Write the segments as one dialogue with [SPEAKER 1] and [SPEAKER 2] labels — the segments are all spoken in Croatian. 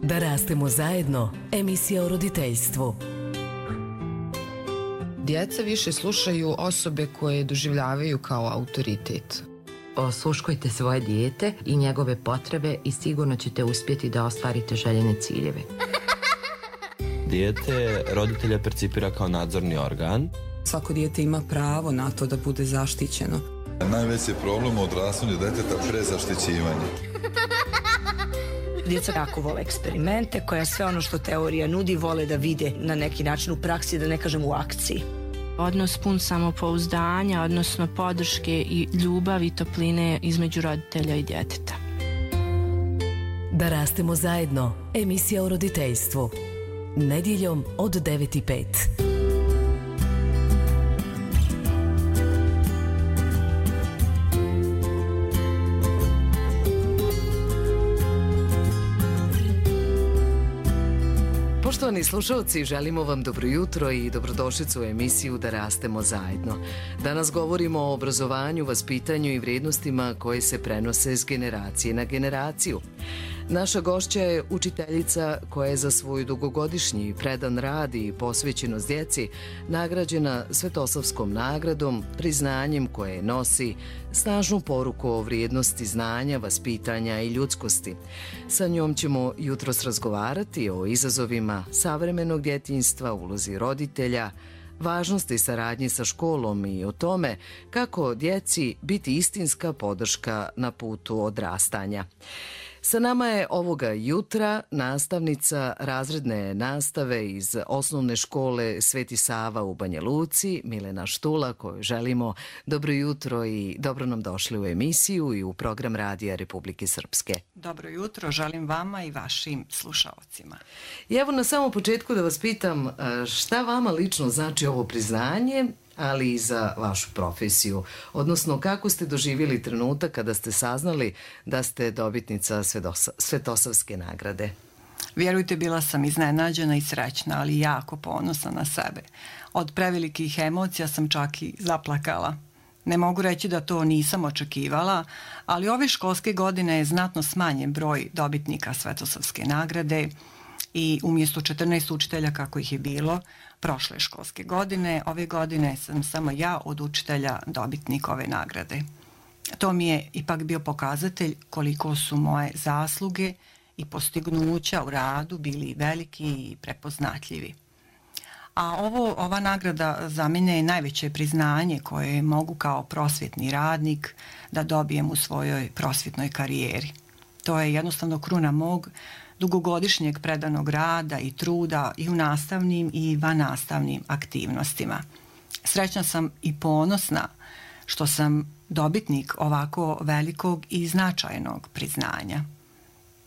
[SPEAKER 1] Da rastemo zajedno, emisija o roditeljstvu.
[SPEAKER 2] Djeca više slušaju osobe koje doživljavaju kao autoritet.
[SPEAKER 3] Osluškujte svoje dijete i njegove potrebe i sigurno ćete uspjeti da ostvarite željene ciljeve.
[SPEAKER 4] Dijete roditelja percipira kao nadzorni organ.
[SPEAKER 5] Svako dijete ima pravo na to da bude zaštićeno.
[SPEAKER 6] Najveći problem u odrastanju djeteta prezaštićivanje.
[SPEAKER 7] Djeca jako vole eksperimente, koja sve ono što teorija nudi vole da vide na neki način u praksi, da ne kažem u akciji.
[SPEAKER 8] Odnos pun samopouzdanja, odnosno podrške i ljubavi i topline između roditelja i djeteta.
[SPEAKER 1] Da rastemo zajedno, emisija o roditeljstvu. Nedjeljom od 9:05.
[SPEAKER 9] Poštovani slušalci, želimo vam dobro jutro i dobrodošlicu u emisiju Da rastemo zajedno. Danas govorimo o obrazovanju, vaspitanju i vrijednostima koje se prenose s generacije na generaciju. Naša gošća je učiteljica koja je za svoj dugogodišnji predan rad i posvećenost djeci nagrađena Svetosavskom nagradom, priznanjem koje nosi snažnu poruku o vrijednosti znanja, vaspitanja i ljudskosti. Sa njom ćemo jutros razgovarati o izazovima savremenog djetinjstva, ulozi roditelja, važnosti saradnje sa školom i o tome kako djeci biti istinska podrška na putu odrastanja. Sa nama je ovoga jutra nastavnica razredne nastave iz osnovne škole Sveti Sava u Banja Luci, Milena Štula, kojoj želimo dobro jutro i dobro nam došli u emisiju i u program Radija Republike Srpske.
[SPEAKER 10] Dobro jutro, želim vama i vašim slušalcima.
[SPEAKER 9] I evo na samom početku da vas pitam šta vama lično znači ovo priznanje, ali i za vašu profesiju, odnosno kako ste doživjeli trenutak kada ste saznali da ste dobitnica Svetosavske nagrade?
[SPEAKER 10] Vjerujte, bila sam iznenađena i srećna, ali jako ponosna na sebe. Od prevelikih emocija sam čak i zaplakala. Ne mogu reći da to nisam očekivala, ali ove školske godine je znatno smanjen broj dobitnika Svetosavske nagrade i umjesto 14 učitelja kako ih je bilo prošle školske godine, ove godine sam samo ja od učitelja dobitnik ove nagrade. To mi je ipak bio pokazatelj koliko su moje zasluge i postignuća u radu bili veliki i prepoznatljivi. A ova nagrada za mene je najveće priznanje koje mogu kao prosvjetni radnik da dobijem u svojoj prosvjetnoj karijeri. To je jednostavno kruna mog dugogodišnjeg predanog rada i truda i u nastavnim i vannastavnim aktivnostima. Srećna sam i ponosna što sam dobitnik ovako velikog i značajnog priznanja.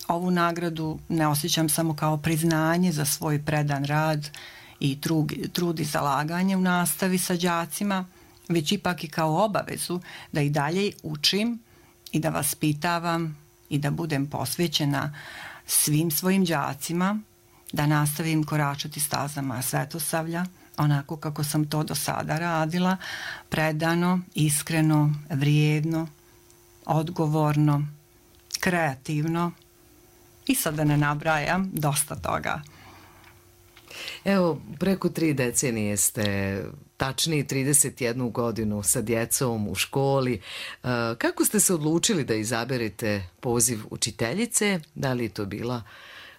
[SPEAKER 10] Ovu nagradu ne osjećam samo kao priznanje za svoj predan rad i trud i zalaganje u nastavi sa đacima, već ipak i kao obavezu da i dalje učim i da vaspitavam i da budem posvećena svim svojim đacima, da nastavim koračati stazama Svetosavlja, onako kako sam to do sada radila, predano, iskreno, vrijedno, odgovorno, kreativno i sad da ne nabrajam dosta toga.
[SPEAKER 9] Evo, preko 3 decenije ste, tačnije 31 godinu sa djecom u školi. Kako ste se odlučili da izaberete poziv učiteljice? Da li je to bila,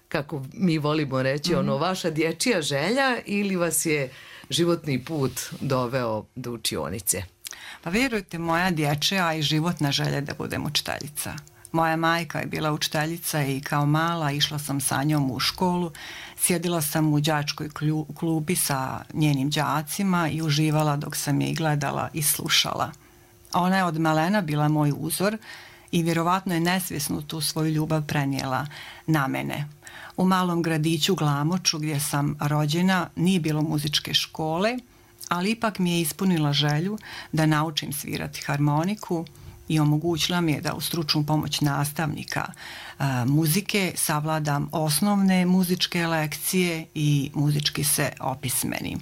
[SPEAKER 9] kako mi volimo reći, vaša dječja želja ili vas je životni put doveo do učionice?
[SPEAKER 10] Pa vjerujte, moja dječja i životna želja da budem učiteljica. Moja majka je bila učiteljica i kao mala išla sam sa njom u školu, sjedila sam u đačkoj klubi sa njenim đacima i uživala dok sam je i gledala i slušala. Ona je od malena bila moj uzor i vjerovatno je nesvjesno tu svoju ljubav prenijela na mene. U malom gradiću Glamoču gdje sam rođena nije bilo muzičke škole, ali ipak mi je ispunila želju da naučim svirati harmoniku i omogućila mi je da u stručnu pomoć nastavnika muzike savladam osnovne muzičke lekcije i muzički se opismenim.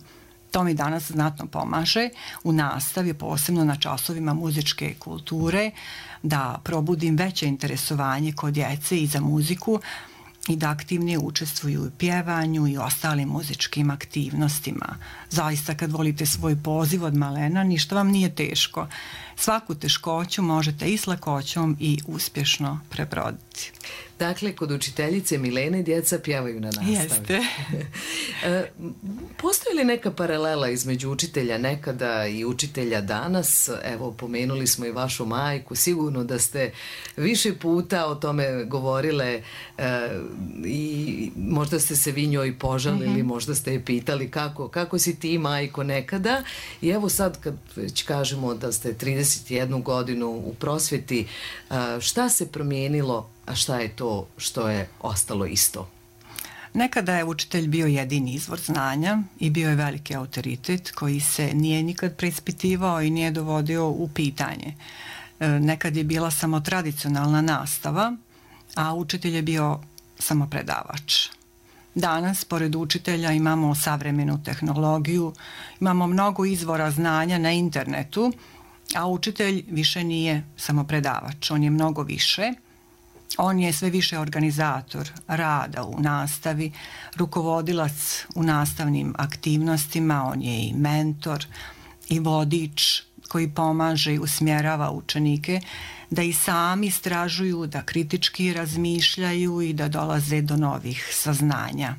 [SPEAKER 10] To mi danas znatno pomaže u nastavi, posebno na časovima muzičke kulture, da probudim veće interesovanje kod djece i za muziku, i da aktivnije učestvuju u pjevanju i ostalim muzičkim aktivnostima. Zaista kad volite svoj poziv od malena, ništa vam nije teško. Svaku teškoću možete i s lakoćom i uspješno prebroditi.
[SPEAKER 9] Dakle, kod učiteljice Milene djeca pjevaju na nastavi.
[SPEAKER 10] Jeste.
[SPEAKER 9] Postoji li neka paralela između učitelja nekada i učitelja danas? Evo, pomenuli smo i vašu majku. Sigurno da ste više puta o tome govorile i možda ste se vi njoj požalili, možda ste je pitali kako si ti, majko, nekada. I evo sad kad već kažemo da ste 31 godinu u prosvjeti, šta se promijenilo, a šta je to što je ostalo isto?
[SPEAKER 10] Nekada je učitelj bio jedini izvor znanja i bio je veliki autoritet koji se nije nikad preispitivao i nije dovodio u pitanje. Nekad je bila samo tradicionalna nastava, a učitelj je bio samo predavač. Danas, pored učitelja, imamo savremenu tehnologiju, imamo mnogo izvora znanja na internetu, a učitelj više nije samo predavač, on je mnogo više. On je sve više organizator rada u nastavi, rukovodilac u nastavnim aktivnostima, on je i mentor i vodič koji pomaže i usmjerava učenike da i sami istražuju, da kritički razmišljaju i da dolaze do novih saznanja.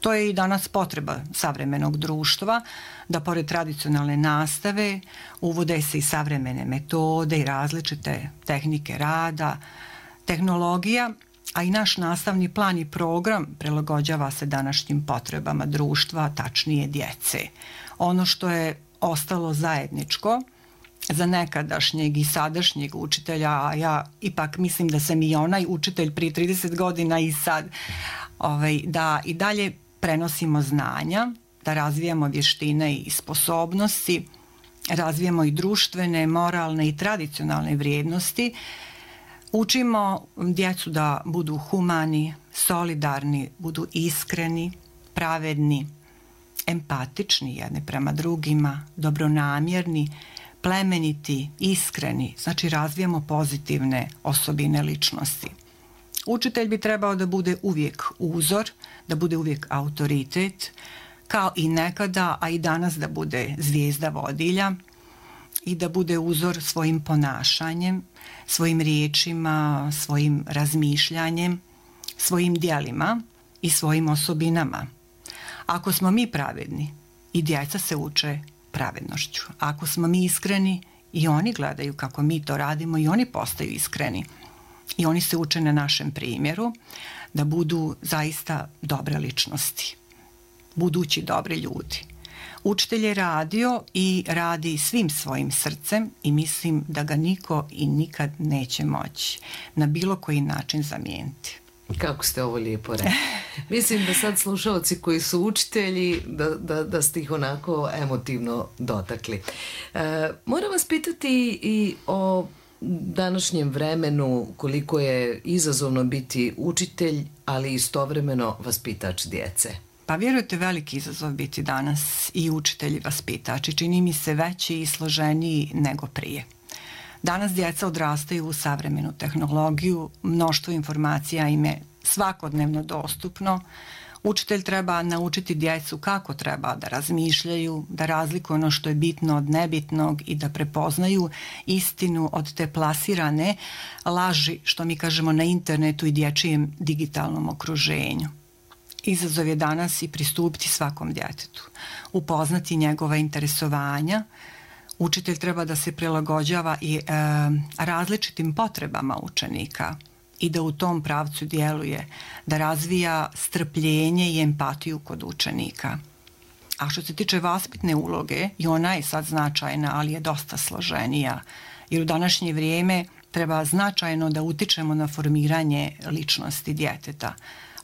[SPEAKER 10] To je i danas potreba savremenog društva, da pored tradicionalne nastave uvode se i savremene metode i različite tehnike rada, tehnologija, a i naš nastavni plan i program prilagođava se današnjim potrebama društva, tačnije djece. Ono što je ostalo zajedničko za nekadašnjeg i sadašnjeg učitelja, a ja ipak mislim da sam i onaj učitelj prije 30 godina i sad, da i dalje prenosimo znanja, da razvijamo vještine i sposobnosti, razvijamo i društvene, moralne i tradicionalne vrijednosti. Učimo djecu da budu humani, solidarni, budu iskreni, pravedni, empatični jedni prema drugima, dobronamjerni, plemeniti, iskreni, znači razvijamo pozitivne osobine ličnosti. Učitelj bi trebao da bude uvijek uzor, da bude uvijek autoritet, kao i nekada, a i danas da bude zvijezda vodilja i da bude uzor svojim ponašanjem, svojim riječima, svojim razmišljanjem, svojim djelima i svojim osobinama. Ako smo mi pravedni, i djeca se uče pravednošću. Ako smo mi iskreni, i oni gledaju kako mi to radimo i oni postaju iskreni. I oni se uče na našem primjeru da budu zaista dobre ličnosti, budući dobri ljudi. Učitelj je radio i radi svim svojim srcem i mislim da ga niko i nikad neće moći na bilo koji način zamijeniti.
[SPEAKER 9] Kako ste ovo lijepo rekli. Mislim da sad slušalci koji su učitelji, da ste ih onako emotivno dotakli. Moram vas pitati i o današnjem vremenu, koliko je izazovno biti učitelj, ali istovremeno vaspitač djece.
[SPEAKER 10] Pa vjerujte, veliki izazov biti danas i učitelj i vaspitač i čini mi se veći i složeniji nego prije. Danas djeca odrastaju u savremenu tehnologiju, mnoštvo informacija im je svakodnevno dostupno. Učitelj treba naučiti djecu kako treba da razmišljaju, da razlikuju ono što je bitno od nebitnog i da prepoznaju istinu od te plasirane laži, što mi kažemo na internetu i dječjem digitalnom okruženju. Izazov je danas i pristupiti svakom djetetu, upoznati njegova interesovanja. Učitelj treba da se prilagođava i različitim potrebama učenika i da u tom pravcu djeluje, da razvija strpljenje i empatiju kod učenika. A što se tiče vaspitne uloge, i ona je sad značajna, ali je dosta složenija, jer u današnje vrijeme treba značajno da utičemo na formiranje ličnosti djeteta.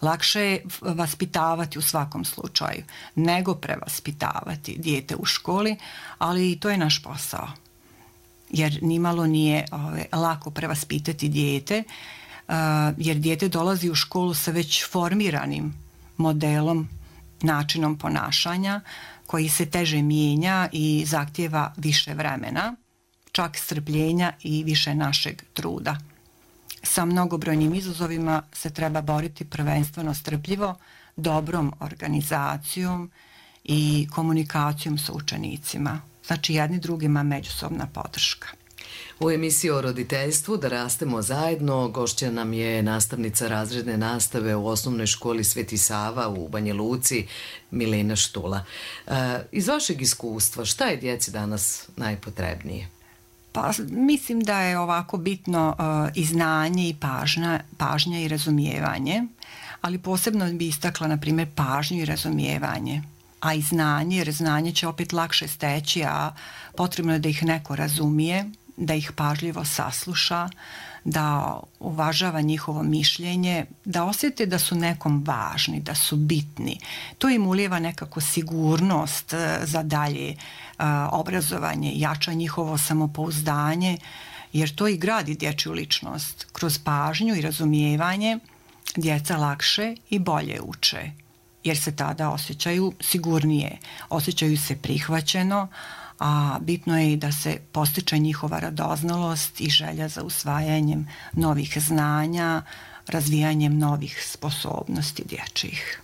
[SPEAKER 10] Lakše je vaspitavati u svakom slučaju nego prevaspitavati dijete u školi, ali i to je naš posao. Jer nimalo nije lako prevaspitati dijete, jer dijete dolazi u školu sa već formiranim modelom, načinom ponašanja koji se teže mijenja i zahtijeva više vremena, čak strpljenja i više našeg truda. Sa mnogobrojnim izazovima se treba boriti prvenstveno strpljivo, dobrom organizacijom i komunikacijom sa učenicima. Znači jedni drugima međusobna podrška.
[SPEAKER 9] U emisiji o roditeljstvu Da rastemo zajedno gošća nam je nastavnica razredne nastave u osnovnoj školi Sveti Sava u Banja Luci, Milena Štula. Iz vašeg iskustva, šta je djeci danas najpotrebnije?
[SPEAKER 10] Pa mislim da je ovako bitno i znanje i pažnja i razumijevanje, ali posebno bi istakla, na primjer, pažnju i razumijevanje, a i znanje, jer znanje će opet lakše steći, a potrebno je da ih neko razumije, da ih pažljivo sasluša, da uvažava njihovo mišljenje, da osjete da su nekom važni, da su bitni. To im ulijeva nekako sigurnost za dalje obrazovanje, jača njihovo samopouzdanje, jer to i gradi dječju ličnost. Kroz pažnju i razumijevanje djeca lakše i bolje uče, jer se tada osjećaju sigurnije, osjećaju se prihvaćeno, a bitno je i da se postiče njihova radoznalost i želja za usvajanjem novih znanja, razvijanjem novih sposobnosti dječjih.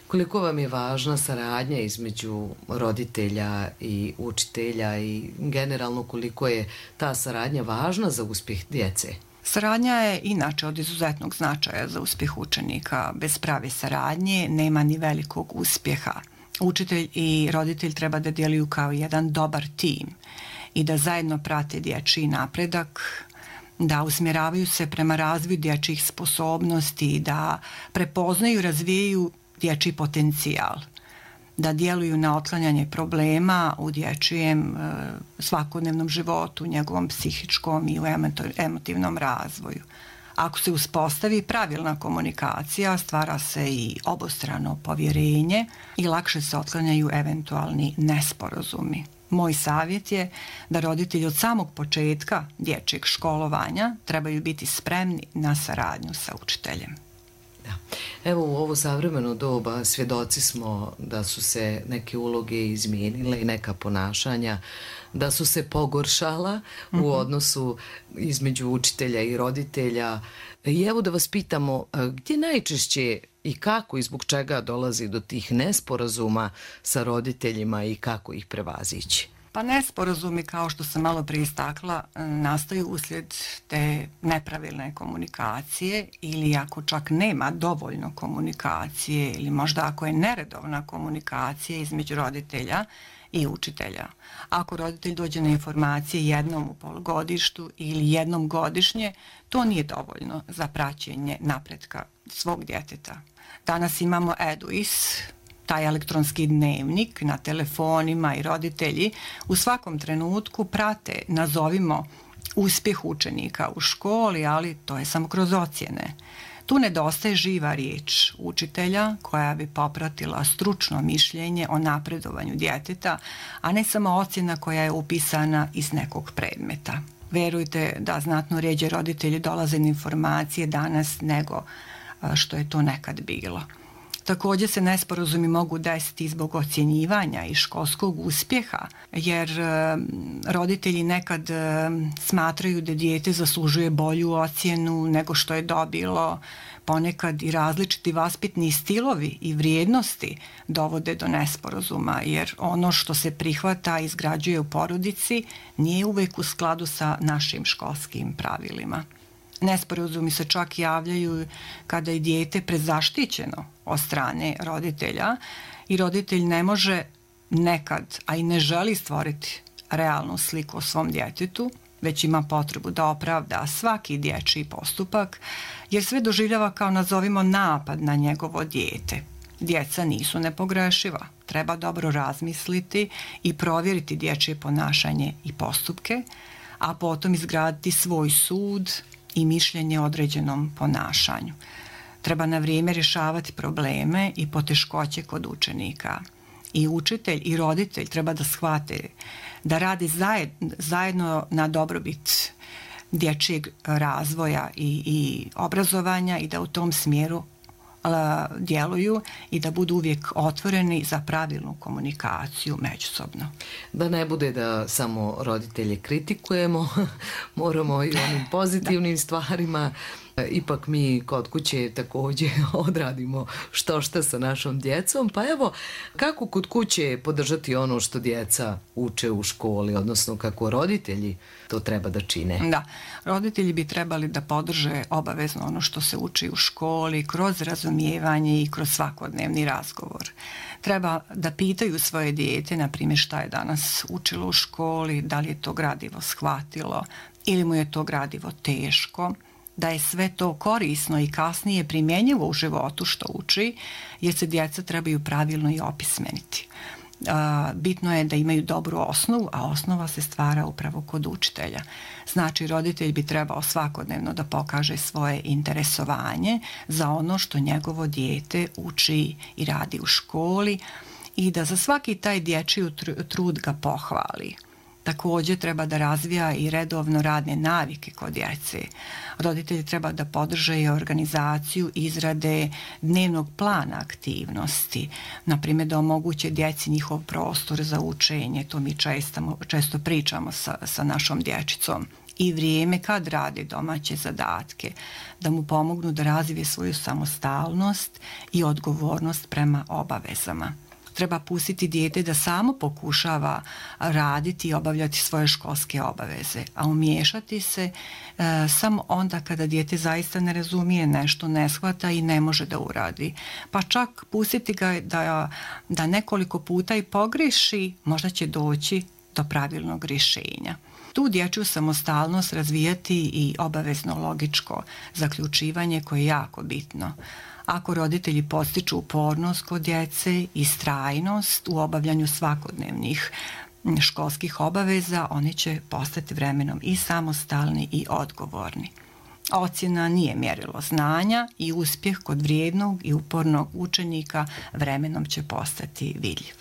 [SPEAKER 9] Koliko vam je važna saradnja između roditelja i učitelja i generalno koliko je ta saradnja važna za uspjeh djece?
[SPEAKER 10] Saradnja je inače od izuzetnog značaja za uspjeh učenika. Bez prave saradnje nema ni velikog uspjeha. Učitelj i roditelj treba da djeluju kao jedan dobar tim i da zajedno prate dječji napredak, da usmjeravaju se prema razvoju dječjih sposobnosti, da prepoznaju i razvijaju dječji potencijal, da djeluju na otklanjanje problema u dječjem svakodnevnom životu, njegovom psihičkom i u emotivnom razvoju. Ako se uspostavi pravilna komunikacija, stvara se i obostrano povjerenje i lakše se otklanjaju eventualni nesporazumi. Moj savjet je da roditelji od samog početka dječjeg školovanja trebaju biti spremni na saradnju sa učiteljem.
[SPEAKER 9] Da. Evo u ovo savremeno doba svjedoci smo da su se neke uloge izmijenile i neka ponašanja da su se pogoršala u odnosu između učitelja i roditelja. I evo da vas pitamo, gdje najčešće i kako i zbog čega dolazi do tih nesporazuma sa roditeljima i kako ih prevazići?
[SPEAKER 10] Pa nesporazumi, kao što sam malo prije istakla, nastaju uslijed te nepravilne komunikacije ili ako čak nema dovoljno komunikacije ili možda ako je neredovna komunikacija između roditelja i učitelja. Ako roditelj dođe na informacije jednom u polugodištu ili jednom godišnje, to nije dovoljno za praćenje napretka svog djeteta. Danas imamo Eduis, taj elektronski dnevnik na telefonima i roditelji u svakom trenutku prate, nazovimo, uspjeh učenika u školi, ali to je samo kroz ocjene. Tu nedostaje živa riječ učitelja koja bi popratila stručno mišljenje o napredovanju djeteta, a ne samo ocjena koja je upisana iz nekog predmeta. Verujte da znatno rjeđe roditelji dolaze na informacije danas nego što je to nekad bilo. Također se nesporazumi mogu desiti zbog ocjenjivanja i školskog uspjeha, jer roditelji nekad smatraju da dijete zaslužuje bolju ocjenu nego što je dobilo. Ponekad i različiti vaspitni stilovi i vrijednosti dovode do nesporazuma, jer ono što se prihvata i izgrađuje u porodici nije uvijek u skladu sa našim školskim pravilima. Nesporazumi se čak javljaju kada je dijete prezaštićeno od strane roditelja i roditelj ne može nekad, a i ne želi stvoriti realnu sliku o svom djetetu, već ima potrebu da opravda svaki dječji postupak, jer sve doživljava kao, nazovimo, napad na njegovo dijete. Djeca nisu nepogrešiva, treba dobro razmisliti i provjeriti dječje ponašanje i postupke, a potom izgraditi svoj sud i mišljenje o određenom ponašanju. Treba na vrijeme rješavati probleme i poteškoće kod učenika. I učitelj i roditelj treba da shvate da radi zajedno na dobrobit dječjeg razvoja i obrazovanja i da u tom smjeru djeluju i da budu uvijek otvoreni za pravilnu komunikaciju međusobno.
[SPEAKER 9] Da ne bude da samo roditelje kritikujemo, moramo i onim pozitivnim stvarima. Ipak mi kod kuće također odradimo što sa našom djecom. Pa evo, kako kod kuće podržati ono što djeca uče u školi, odnosno kako roditelji to treba da čine?
[SPEAKER 10] Da, roditelji bi trebali da podrže obavezno ono što se uči u školi, kroz razumijevanje i kroz svakodnevni razgovor. Treba da pitaju svoje dijete, na primjer, šta je danas učilo u školi, da li je to gradivo shvatilo ili mu je to gradivo teško, da je sve to korisno i kasnije primjenjivo u životu što uči, jer se djeca trebaju pravilno i opismeniti. Bitno je da imaju dobru osnovu, a osnova se stvara upravo kod učitelja. Znači, roditelj bi trebao svakodnevno da pokaže svoje interesovanje za ono što njegovo dijete uči i radi u školi i da za svaki taj dječji trud ga pohvali. Također treba da razvija i redovno radne navike kod djece. Roditelji treba da podrže i organizaciju izrade dnevnog plana aktivnosti, naprimjer da omoguće djeci njihov prostor za učenje, to mi često pričamo sa našom dječicom, i vrijeme kad rade domaće zadatke, da mu pomognu da razvije svoju samostalnost i odgovornost prema obavezama. Treba pustiti dijete da samo pokušava raditi i obavljati svoje školske obaveze, a umiješati se samo onda kada dijete zaista ne razumije nešto, ne shvata i ne može da uradi. Pa čak pustiti ga da nekoliko puta i pogreši, možda će doći do pravilnog rješenja. Tu dječju samostalnost razvijati i obavezno logičko zaključivanje koje je jako bitno. Ako roditelji postiču upornost kod djece i strajnost u obavljanju svakodnevnih školskih obaveza, oni će postati vremenom i samostalni i odgovorni. Ocjena nije mjerilo znanja i uspjeh kod vrijednog i upornog učenika vremenom će postati vidljiv.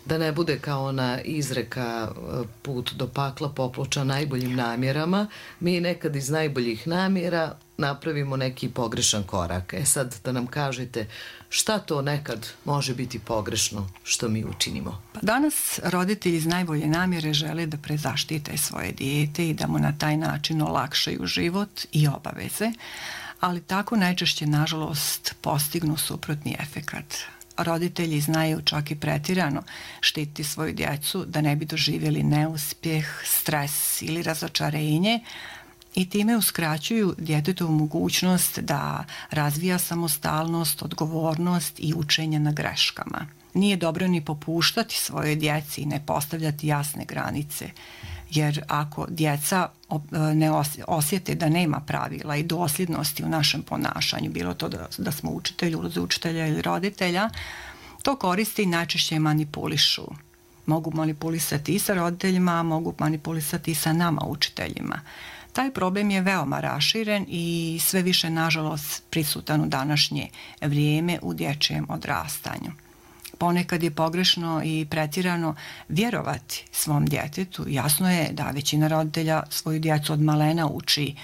[SPEAKER 9] Da ne bude kao ona izreka put do pakla poploča najboljim namjerama, mi nekad iz najboljih namjera napravimo neki pogrešan korak. Sad da nam kažete šta to nekad može biti pogrešno što mi učinimo?
[SPEAKER 10] Danas roditelji iz najbolje namjere žele da prezaštite svoje dijete i da mu na taj način olakšaju život i obaveze, ali tako najčešće, nažalost, postignu suprotni efekat. Roditelji znaju čak i pretirano štititi svoju djecu da ne bi doživjeli neuspjeh, stres ili razočarenje i time uskraćuju djetetovu mogućnost da razvija samostalnost, odgovornost i učenje na greškama. Nije dobro ni popuštati svoje djeci i ne postavljati jasne granice, jer ako djeca ne osjete da nema pravila i dosljednosti u našem ponašanju, bilo to da smo učitelji, ulozi učitelja ili roditelja, to koriste i najčešće manipulišu. Mogu manipulisati i sa roditeljima, mogu manipulisati i sa nama, učiteljima. Taj problem je veoma raširen i sve više, nažalost, prisutan u današnje vrijeme u dječjem odrastanju. Ponekad je pogrešno i pretirano vjerovati svom djetetu. Jasno je da većina roditelja svoju djecu od malena uči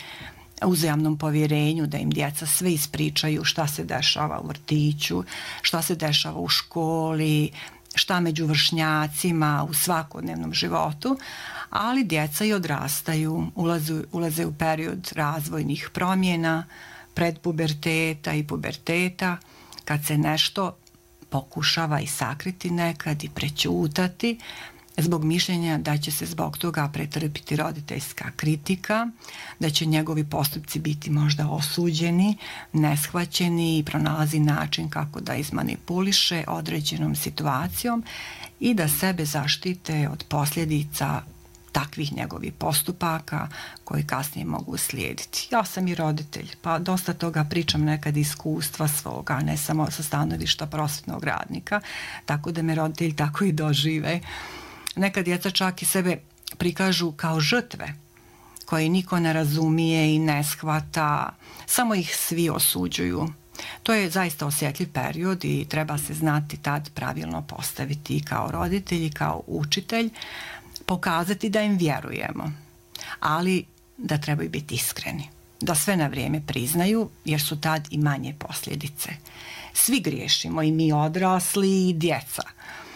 [SPEAKER 10] uzajamnom povjerenju, da im djeca sve ispričaju šta se dešava u vrtiću, šta se dešava u školi, šta među vršnjacima u svakodnevnom životu, ali djeca i odrastaju, ulaze u period razvojnih promjena, predpuberteta i puberteta, kad se nešto pokušava i sakriti nekad i prećutati zbog mišljenja da će se zbog toga pretrpiti roditeljska kritika, da će njegovi postupci biti možda osuđeni, neshvaćeni i pronalazi način kako da izmanipuliše određenom situacijom i da sebe zaštite od posljedica takvih njegovih postupaka koji kasnije mogu slijediti. Ja sam i roditelj, pa dosta toga pričam nekad iskustva svoga, ne samo sa stanovišta prosvetnog radnika, tako da me roditelji tako i dožive. Nekad djeca čak i sebe prikažu kao žrtve koje niko ne razumije i ne shvata, samo ih svi osuđuju. To je zaista osjetljiv period i treba se znati tad pravilno postaviti kao roditelj i kao učitelj, pokazati da im vjerujemo, ali da trebaju biti iskreni. da sve na vrijeme priznaju, jer su tad i manje posljedice. Svi griješimo, i mi odrasli i djeca,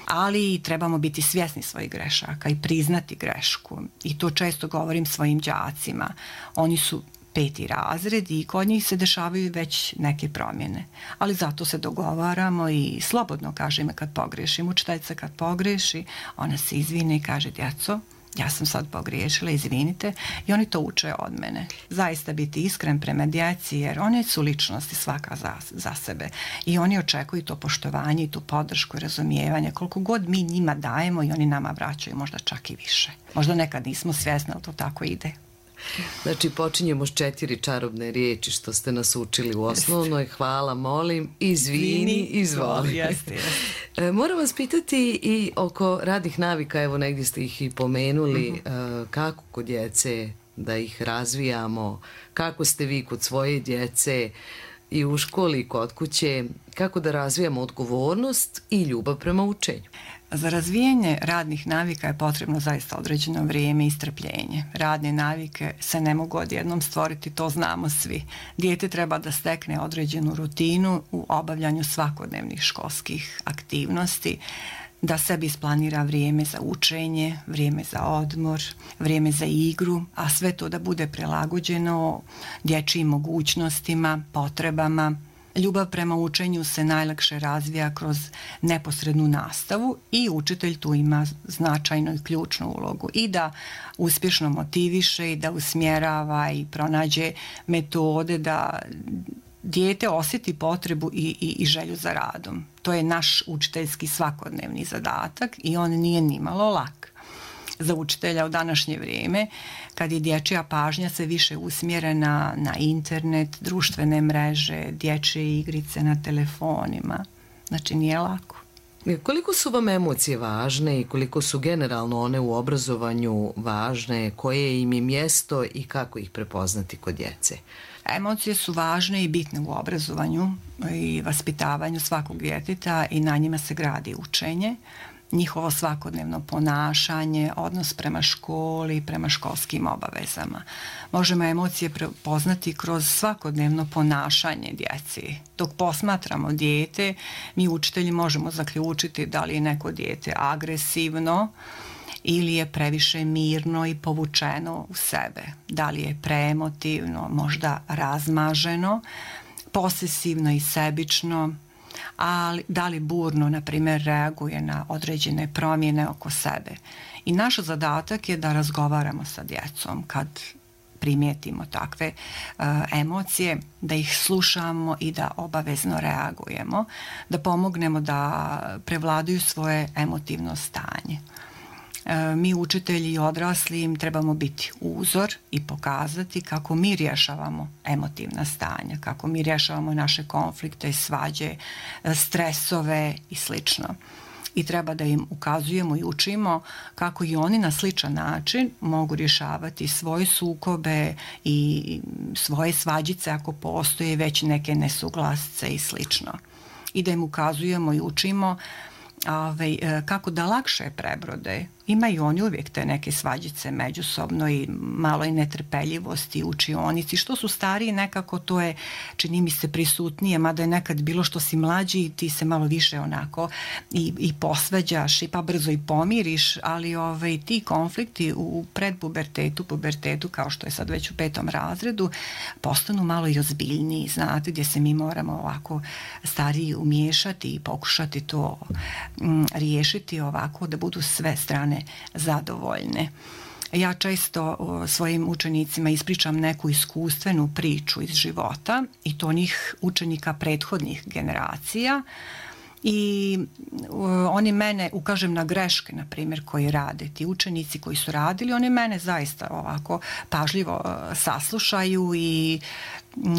[SPEAKER 10] ali trebamo biti svjesni svojih grešaka i priznati grešku. I to često govorim svojim đacima. Oni su 5. razred i kod njih se dešavaju već neke promjene. Ali zato se dogovaramo i slobodno kažem kad pogrešim. Učiteljica kad pogreši, ona se izvine i kaže: djeco, ja sam sad pogriješila, izvinite, i oni to uče od mene. Zaista biti iskren prema djeci, jer one su ličnosti svaka za sebe i oni očekuju to poštovanje i tu podršku i razumijevanje. Koliko god mi njima dajemo i oni nama vraćaju, možda čak i više. Možda nekad nismo svjesni, ali to tako ide.
[SPEAKER 9] Znači, počinjemo s 4 čarobne riječi što ste nas učili u osnovnoj. Hvala, molim, izvini, izvoli.
[SPEAKER 10] Jeste.
[SPEAKER 9] Moram vas pitati i oko radnih navika, evo negdje ste ih i pomenuli, kako kod djece da ih razvijamo, kako ste vi kod svoje djece i u školi i kod kuće, kako da razvijamo odgovornost i ljubav prema učenju?
[SPEAKER 10] Za razvijanje radnih navika je potrebno zaista određeno vrijeme i strpljenje. Radne navike se ne mogu odjednom stvoriti, to znamo svi. Dijete treba da stekne određenu rutinu u obavljanju svakodnevnih školskih aktivnosti, da sebi isplanira vrijeme za učenje, vrijeme za odmor, vrijeme za igru, a sve to da bude prilagođeno dječjim mogućnostima, potrebama. Ljubav prema učenju se najlakše razvija kroz neposrednu nastavu i učitelj tu ima značajnu i ključnu ulogu i da uspješno motiviše i da usmjerava i pronađe metode da dijete osjeti potrebu i želju za radom. To je naš učiteljski svakodnevni zadatak i on nije nimalo lak. Za učitelja u današnje vrijeme, kad je dječja pažnja sve više usmjerena na internet, društvene mreže, dječje igrice na telefonima. Znači, nije lako.
[SPEAKER 9] Koliko su vam emocije važne i koliko su generalno one u obrazovanju važne, koje im je mjesto i kako ih prepoznati kod djece?
[SPEAKER 10] Emocije su važne i bitne u obrazovanju i vaspitavanju svakog djeteta i na njima se gradi učenje. Njihovo svakodnevno ponašanje, odnos prema školi, prema školskim obavezama. Možemo emocije prepoznati kroz svakodnevno ponašanje djeci. Dok posmatramo dijete, mi učitelji možemo zaključiti da li je neko dijete agresivno ili je previše mirno i povučeno u sebe. Da li je preemotivno, možda razmaženo, posesivno i sebično, ali da li burno, na primjer, reaguje na određene promjene oko sebe. I naš zadatak je da razgovaramo sa djecom kad primijetimo takve emocije, da ih slušamo i da obavezno reagujemo, da pomognemo da prevladaju svoje emotivno stanje. Mi učitelji i odrasli im trebamo biti uzor i pokazati kako mi rješavamo emotivna stanja, kako mi rješavamo naše konflikte, svađe, stresove i slično. I treba da im ukazujemo i učimo kako i oni na sličan način mogu rješavati svoje sukobe i svoje svađice ako postoje već neke nesuglasce i slično. I da im ukazujemo i učimo kako da lakše prebrode. Imaju oni uvijek te neke svađice međusobno i malo i netrpeljivosti u učionici. Što su stariji, nekako to je, čini mi se, prisutnije, mada je nekad bilo što si mlađi i ti se malo više onako i posvađaš i pa brzo i pomiriš, ali ti konflikti u predpubertetu, pubertetu, kao što je sad već u 5. razredu, postanu malo i ozbiljniji, znate, gdje se mi moramo ovako stariji umiješati i pokušati to riješiti ovako da budu sve strane zadovoljne. Ja često svojim učenicima ispričam neku iskustvenu priču iz života i to onih učenika prethodnih generacija i oni mene, ukažem na greške, na primjer, koji rade. Ti učenici koji su radili, oni mene zaista ovako pažljivo saslušaju i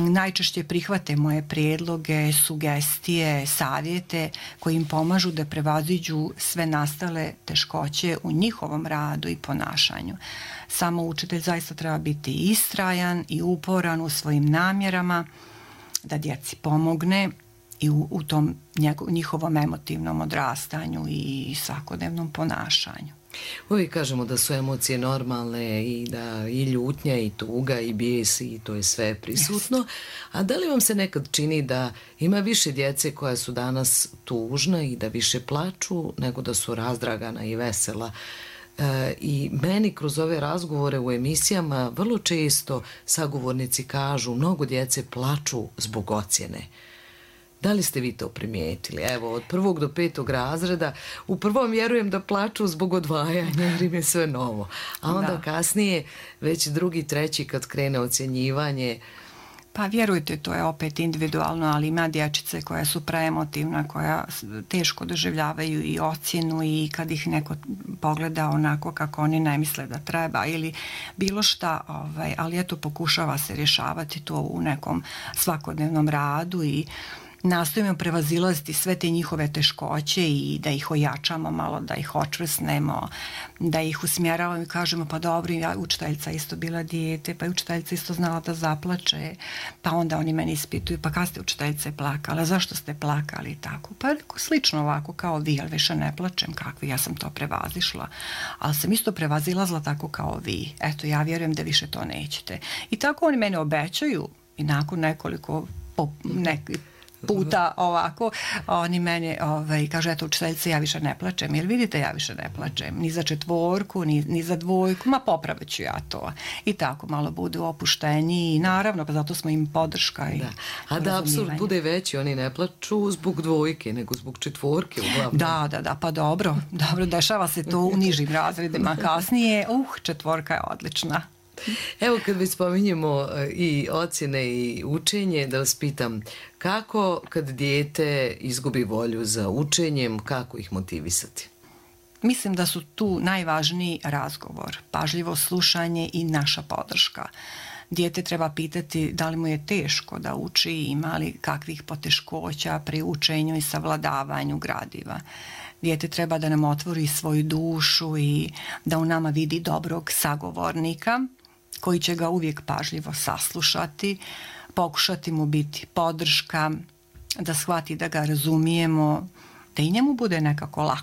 [SPEAKER 10] najčešće prihvate moje prijedloge, sugestije, savjete koji im pomažu da prevaziđu sve nastale teškoće u njihovom radu i ponašanju. Samo učitelj zaista treba biti istrajan i uporan u svojim namjerama da djeci pomogne i u tom njihovom emotivnom odrastanju i svakodnevnom ponašanju.
[SPEAKER 9] Uvijek kažemo da su emocije normalne i da i ljutnja i tuga i bijes i to je sve prisutno. A da li vam se nekad čini da ima više djece koja su danas tužna i da više plaču nego da su razdragana i vesela? I meni kroz ove razgovore u emisijama vrlo često sagovornici kažu mnogo djece plaču zbog ocjene. Da li ste vi to primijetili? Evo, od 1. do 5. razreda, u prvom vjerujem da plaču zbog odvajanja jer im je sve novo. A onda kasnije, već 2., 3. kad krene ocjenjivanje.
[SPEAKER 10] Pa vjerujte, to je opet individualno, ali ima dječice koja su preemotivna, koja teško doživljavaju i ocjenu i kad ih neko pogleda onako kako oni ne misle da treba ili bilo šta, ali eto pokušava se rješavati to u nekom svakodnevnom radu i nastojimo prevazilaziti sve te njihove teškoće i da ih ojačamo malo, da ih očvrsnemo, da ih usmjeravamo i kažemo pa dobro, učiteljica isto bila dijete, pa je učiteljica isto znala da zaplače, pa onda oni meni ispituju, pa kad ste učiteljice plakala, zašto ste plakali i tako. Pa slično ovako kao vi, ali više ne plačem, kakvi, ja sam to prevazišla, ali sam isto prevazilazila tako kao vi. Eto, ja vjerujem da više to nećete. I tako oni mene obećaju i nakon nekoliko puta ovako, oni meni kažu, eto učiteljice, ja više ne plačem, jer vidite, ja više ne plačem, ni za 4, ni za 2, ma popravit ću ja to. I tako malo budu opušteniji i naravno, pa zato smo im podrška. I
[SPEAKER 9] a da apsurd bude veći, oni ne plaču zbog 2, nego zbog 4 uglavnom.
[SPEAKER 10] Da, pa dobro, dešava se to u nižim razredima kasnije, 4 je odlična.
[SPEAKER 9] Evo kad već spominjemo i ocjene i učenje, da vas pitam, kako kad dijete izgubi volju za učenjem, kako ih motivisati?
[SPEAKER 10] Mislim da su tu najvažniji razgovor, pažljivo slušanje i naša podrška. Dijete treba pitati da li mu je teško da uči, ima li kakvih poteškoća pri učenju i savladavanju gradiva. Dijete treba da nam otvori svoju dušu i da u nama vidi dobrog sagovornika koji će ga uvijek pažljivo saslušati, pokušati mu biti podrška, da shvati da ga razumijemo, da i njemu bude nekako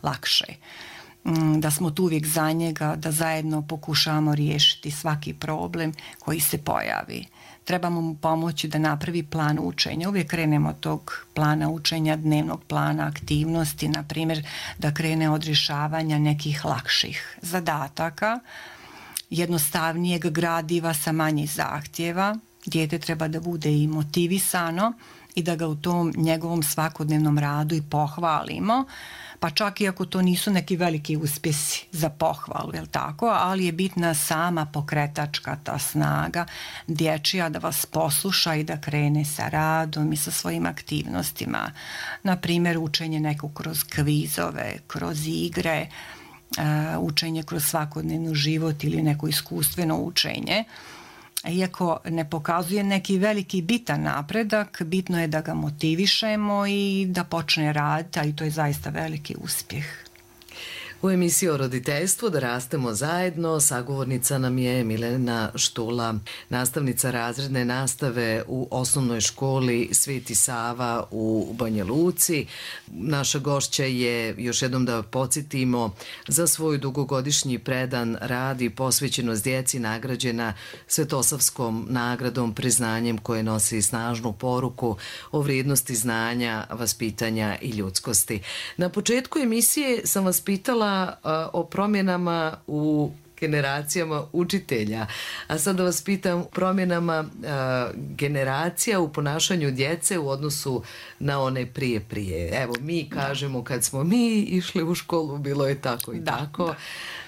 [SPEAKER 10] lakše, da smo tu uvijek za njega, da zajedno pokušavamo riješiti svaki problem koji se pojavi. Trebamo mu pomoći da napravi plan učenja. Uvijek krenemo od tog plana učenja, dnevnog plana aktivnosti, na primjer da krene od rješavanja nekih lakših zadataka, jednostavnijeg gradiva sa manje zahtjeva. Dijete treba da bude i motivisano i da ga u tom njegovom svakodnevnom radu i pohvalimo, pa čak i ako to nisu neki veliki uspjesi za pohvalu, jel tako, ali je bitna sama pokretačka ta snaga dječja da vas posluša i da krene sa radom i sa svojim aktivnostima. Na primjer, učenje neko kroz kvizove, kroz igre, učenje kroz svakodnevni život ili neko iskustveno učenje. Iako ne pokazuje neki veliki bitan napredak, bitno je da ga motivišemo i da počne raditi, a i to je zaista veliki uspjeh.
[SPEAKER 9] U emisiji o roditeljstvu Da rastemo zajedno sagovornica nam je Milena Štula, nastavnica razredne nastave u osnovnoj školi Sveti Sava u Banja Luci. Naša gošća je, još jednom da podsjetimo, za svoj dugogodišnji predan rad i posvećenost djeci nagrađena Svetosavskom nagradom, priznanjem koje nosi snažnu poruku o vrijednosti znanja, vaspitanja i ljudskosti. Na početku emisije sam vas pitala o promjenama u generacijama učitelja, a sad da vas pitam promjenama generacija u ponašanju djece u odnosu na one prije. Evo, mi kažemo kad smo mi išli u školu bilo je tako i tako.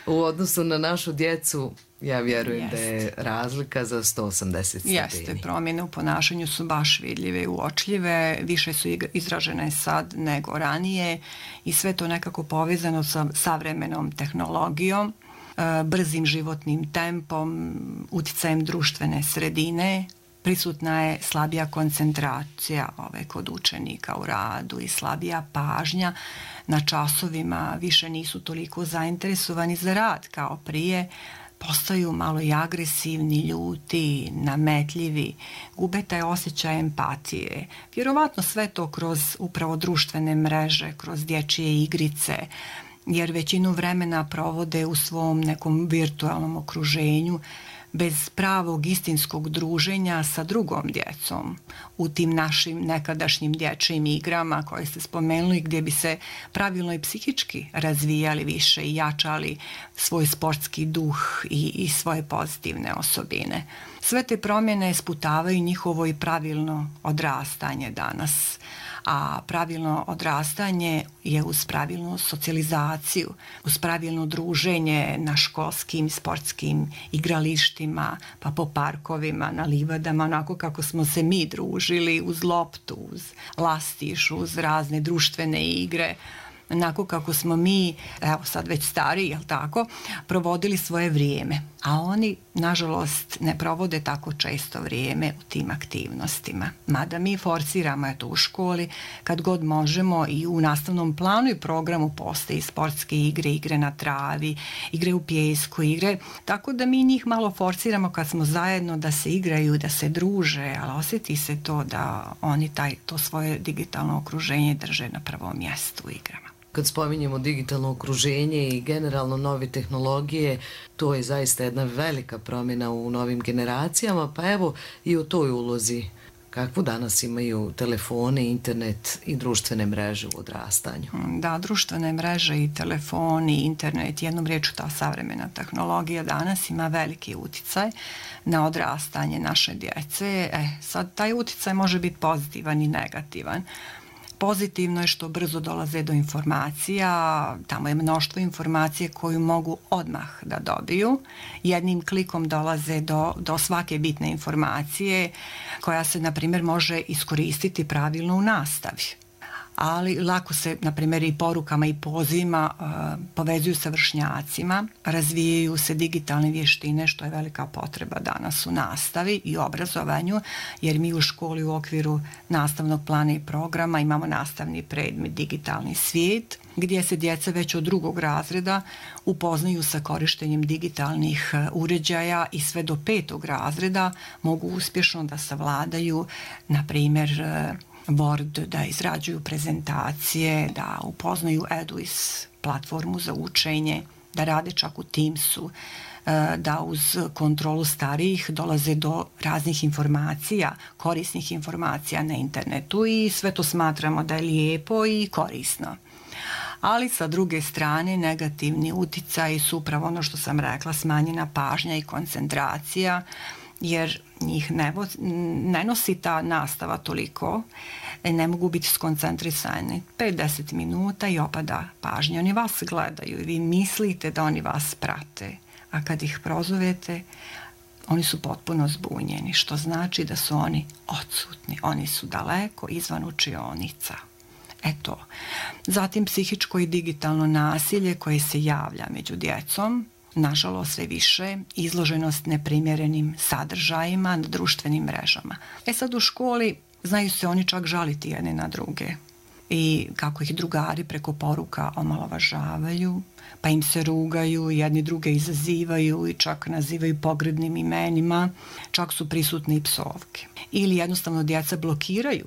[SPEAKER 9] U odnosu na našu djecu ja vjerujem da je razlika za 180 stepeni.
[SPEAKER 10] Jeste, promjene u ponašanju su baš vidljive i uočljive, više su izražene sad nego ranije i sve to nekako povezano sa savremenom tehnologijom, brzim životnim tempom, utjecajem društvene sredine. Prisutna je slabija koncentracija kod učenika u radu i slabija pažnja na časovima, više nisu toliko zainteresovani za rad kao prije, postaju malo i agresivni, ljuti, nametljivi, gube taj osjećaj empatije. Vjerovatno sve to kroz upravo društvene mreže, kroz dječje igrice, jer većinu vremena provode u svom nekom virtualnom okruženju bez pravog istinskog druženja sa drugom djecom u tim našim nekadašnjim dječjim igrama koje ste spomenuli, gdje bi se pravilno i psihički razvijali više i jačali svoj sportski duh i svoje pozitivne osobine. Sve te promjene sputavaju njihovo i pravilno odrastanje danas. A pravilno odrastanje je uz pravilnu socijalizaciju, uz pravilno druženje na školskim sportskim igralištima, pa po parkovima, na livadama, onako kako smo se mi družili, uz loptu, uz lastiš, uz razne društvene igre, onako kako smo mi, evo sad već stariji, jel tako, provodili svoje vrijeme. A oni, nažalost, ne provode tako često vrijeme u tim aktivnostima. Mada mi forsiramo eto u školi, kad god možemo i u nastavnom planu i programu postoje sportske igre, igre na travi, igre u pijesku, igre, tako da mi njih malo forsiramo kad smo zajedno da se igraju, da se druže, ali osjeti se to da oni to svoje digitalno okruženje drže na prvom mjestu u igrama.
[SPEAKER 9] Kad spominjemo digitalno okruženje i generalno nove tehnologije, to je zaista jedna velika promjena u novim generacijama, pa evo i u toj ulozi. Kakvu danas imaju telefone, internet i društvene mreže u odrastanju?
[SPEAKER 10] Da, društvene mreže i telefoni, internet, jednom riječju ta savremena tehnologija danas ima veliki utjecaj na odrastanje naše djece. Sad taj utjecaj može biti pozitivan i negativan. Pozitivno je što brzo dolaze do informacija, tamo je mnoštvo informacije koju mogu odmah da dobiju. Jednim klikom dolaze do svake bitne informacije koja se, na primjer, može iskoristiti pravilno u nastavi. Ali lako se, na primjer, i porukama i pozivima povezuju sa vršnjacima, razvijaju se digitalne vještine, što je velika potreba danas u nastavi i obrazovanju, jer mi u školi u okviru nastavnog plana i programa imamo nastavni predmet digitalni svijet, gdje se djeca već od 2. razreda upoznaju sa korištenjem digitalnih uređaja i sve do 5. razreda mogu uspješno da savladaju, na primjer, Word, da izrađuju prezentacije, da upoznaju Eduis platformu za učenje, da rade čak u Teamsu, da uz kontrolu starijih dolaze do raznih informacija, korisnih informacija na internetu i sve to smatramo da je lijepo i korisno. Ali sa druge strane negativni utjecaji su upravo ono što sam rekla, smanjena pažnja i koncentracija, jer njih ne nosi ta nastava toliko, ne mogu biti skoncentrisani 5-10 minuta i opada pažnja. Oni vas gledaju i vi mislite da oni vas prate, a kad ih prozovete, oni su potpuno zbunjeni, što znači da su oni odsutni, oni su daleko izvan učionica. Eto. Zatim psihičko i digitalno nasilje koje se javlja među djecom, nažalost sve više, izloženost neprimjerenim sadržajima na društvenim mrežama. Sad u školi znaju se oni čak žaliti jedne na druge i kako ih drugari preko poruka omalovažavaju, pa im se rugaju, jedni druge izazivaju i čak nazivaju pogrdnim imenima, čak su prisutne i psovke. Ili jednostavno djeca blokiraju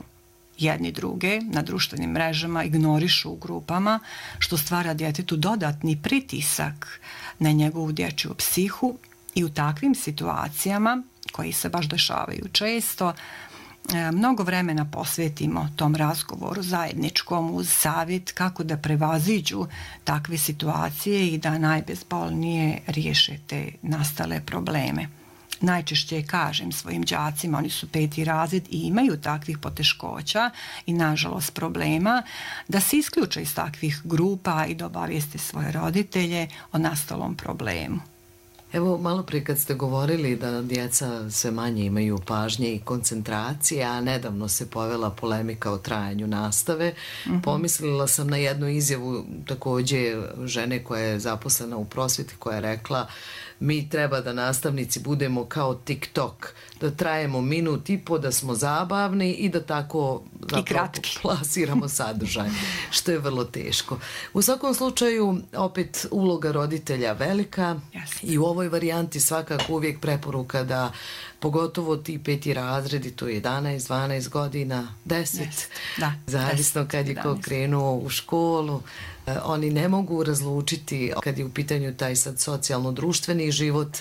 [SPEAKER 10] jedni druge na društvenim mrežama, ignorišu u grupama, što stvara djetetu dodatni pritisak na njegovu dječju psihu i u takvim situacijama, koji se baš dešavaju često, mnogo vremena posvetimo tom razgovoru zajedničkom uz savjet kako da prevaziđu takve situacije i da najbezbolnije riješe te nastale probleme. Najčešće kažem svojim đacima, oni su 5. razred i imaju takvih poteškoća i nažalost problema, da se isključe iz takvih grupa i da obavijeste svoje roditelje o nastalom problemu.
[SPEAKER 9] Evo, malo prije kad ste govorili da djeca sve manje imaju pažnje i koncentracije, a nedavno se povela polemika o trajanju nastave, pomislila sam na jednu izjavu također žene koja je zaposlena u prosvjeti, koja je rekla: mi treba da nastavnici budemo kao TikTok, da trajemo 1,5 minuta, da smo zabavni i da tako plasiramo sadržaj, što je vrlo teško. U svakom slučaju, opet uloga roditelja velika i u ovoj varijanti svakako uvijek preporuka da pogotovo ti 5. razredi, to je 11, 12 godina, 10, zavisno kad je ko krenuo u školu. Oni ne mogu razlučiti kad je u pitanju taj sad socijalno-društveni život,